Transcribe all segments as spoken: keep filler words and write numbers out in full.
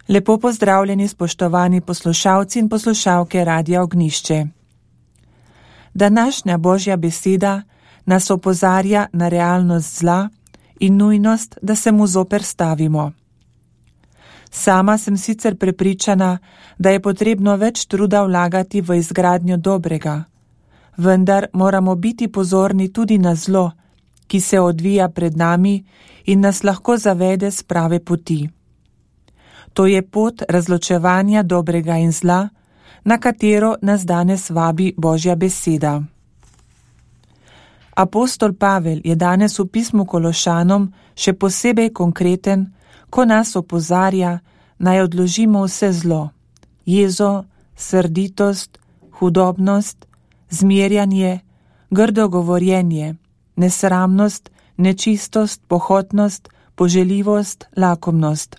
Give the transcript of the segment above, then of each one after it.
Lepo pozdravljeni, spoštovani poslušalci in poslušalke Radia Ognjišče. Današnja Božja beseda nas opozarja na realnost zla in nujnost, da se mu zoperstavimo. Sama sem sicer prepričana, da je potrebno več truda vlagati v izgradnjo dobrega, vendar moramo biti pozorni tudi na zlo, ki se odvija pred nami in nas lahko zavede s prave poti. To je pot razločevanja dobrega in zla, na katero nas danes vabi Božja beseda. Apostol Pavel je danes v pismu Kološanom še posebej konkreten, ko nas opozarja, naj odložimo vse zlo, jezo, srditost, hudobnost, zmerjanje, grdo govorjenje, nesramnost, nečistost, pohotnost, poželjivost, lakomnost.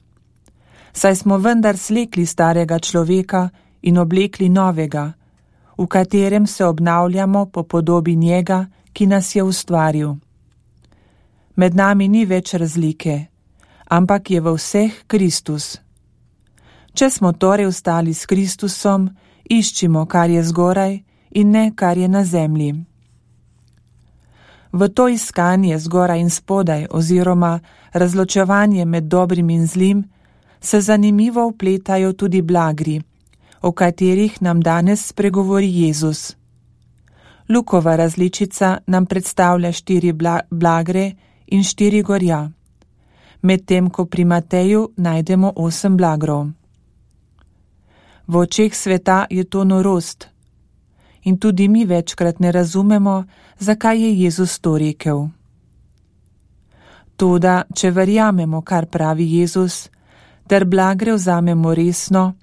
Saj smo vendar slekli starega človeka in oblekli novega, v katerem se obnavljamo po podobi njega, ki nas je ustvaril. Med nami ni več razlike, ampak je v vseh Kristus. Če smo torej ostali s Kristusom, iščimo, kar je zgoraj in ne, kar je na zemlji. V to iskanje zgoraj in spodaj oziroma razločevanje med dobrim in zlim se zanimivo vpletajo tudi blagri, o katerih nam danes spregovori Jezus. Lukova različica nam predstavlja štiri bla- blagre in štiri gorja, medtem ko pri Mateju najdemo osem blagrov. V očeh sveta je to norost in tudi mi večkrat ne razumemo, zakaj je Jezus to rekel. Toda, če verjamemo, kar pravi Jezus, ter blagre vzamemo resno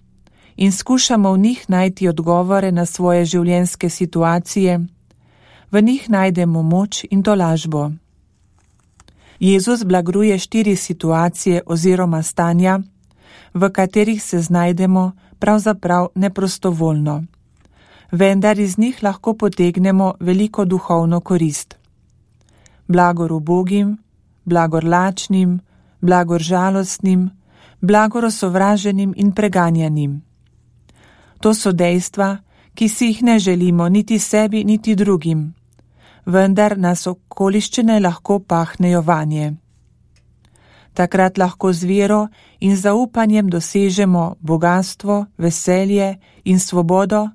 in skušamo v njih najti odgovore na svoje življenjske situacije, v njih najdemo moč in tolažbo. Jezus blagruje štiri situacije oziroma stanja, v katerih se znajdemo pravzaprav neprostovoljno, vendar iz njih lahko potegnemo veliko duhovno korist. Blagor ubogim, blagor lačnim, blagor žalostnim, blagor osovraženim in preganjanim. To so dejstva, ki si jih ne želimo niti sebi, niti drugim, vendar nas okoliščine lahko pahnejo vanje. Takrat lahko z vero in zaupanjem dosežemo bogastvo, veselje in svobodo,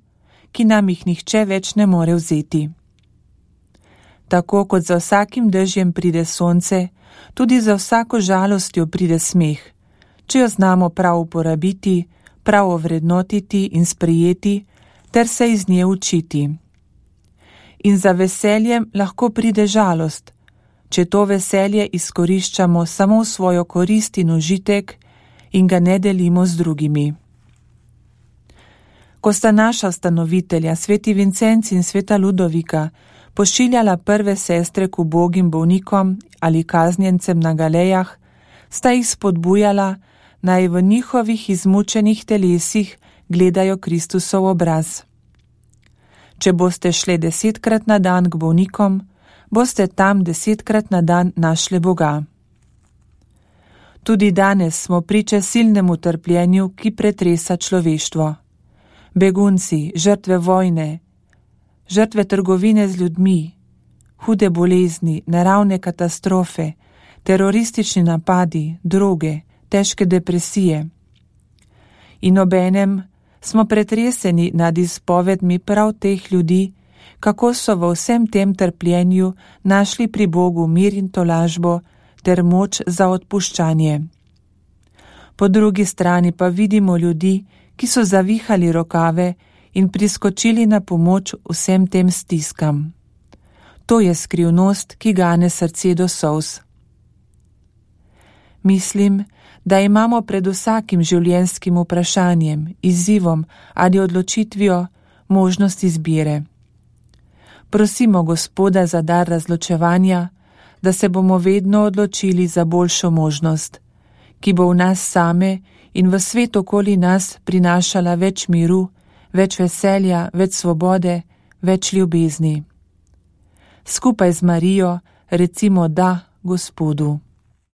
ki nam jih nihče več ne more vzeti. Tako kot za vsakim dežjem pride sonce, tudi za vsako žalostjo pride smeh, če jo znamo prav uporabiti, prav ovrednotiti in sprejeti, ter se iz nje učiti. In za veseljem lahko pride žalost, če to veselje izkoriščamo samo v svojo korist in užitek in ga ne delimo z drugimi. Ko sta naša ustanovitelja, sveti Vincenc in sveta Ludovika, pošiljala prve sestre k ubogim bolnikom ali kaznjencem na galejah, sta jih spodbujala, naj v njihovih izmučenih telesih gledajo Kristusov obraz. Če boste šli desetkrat na dan k bolnikom, boste tam desetkrat na dan našli Boga. Tudi danes smo priče silnemu trpljenju, ki pretresa človeštvo. Begunci, žrtve vojne, žrtve trgovine z ljudmi, hude bolezni, naravne katastrofe, teroristični napadi, droge, težke depresije. In obenem smo pretreseni nad izpovedmi prav teh ljudi, kako so v vsem tem trpljenju našli pri Bogu mir in tolažbo ter moč za odpuščanje. Po drugi strani pa vidimo ljudi, ki so zavihali rokave in priskočili na pomoč vsem tem stiskam. To je skrivnost, ki gane srce do solz. Mislim, da imamo pred vsakim življenjskim vprašanjem, izzivom ali odločitvijo možnost izbire. Prosimo Gospoda za dar razločevanja, da se bomo vedno odločili za boljšo možnost, ki bo v nas same in v svet okoli nas prinašala več miru, več veselja, več svobode, več ljubezni. Skupaj z Marijo recimo da Gospodu.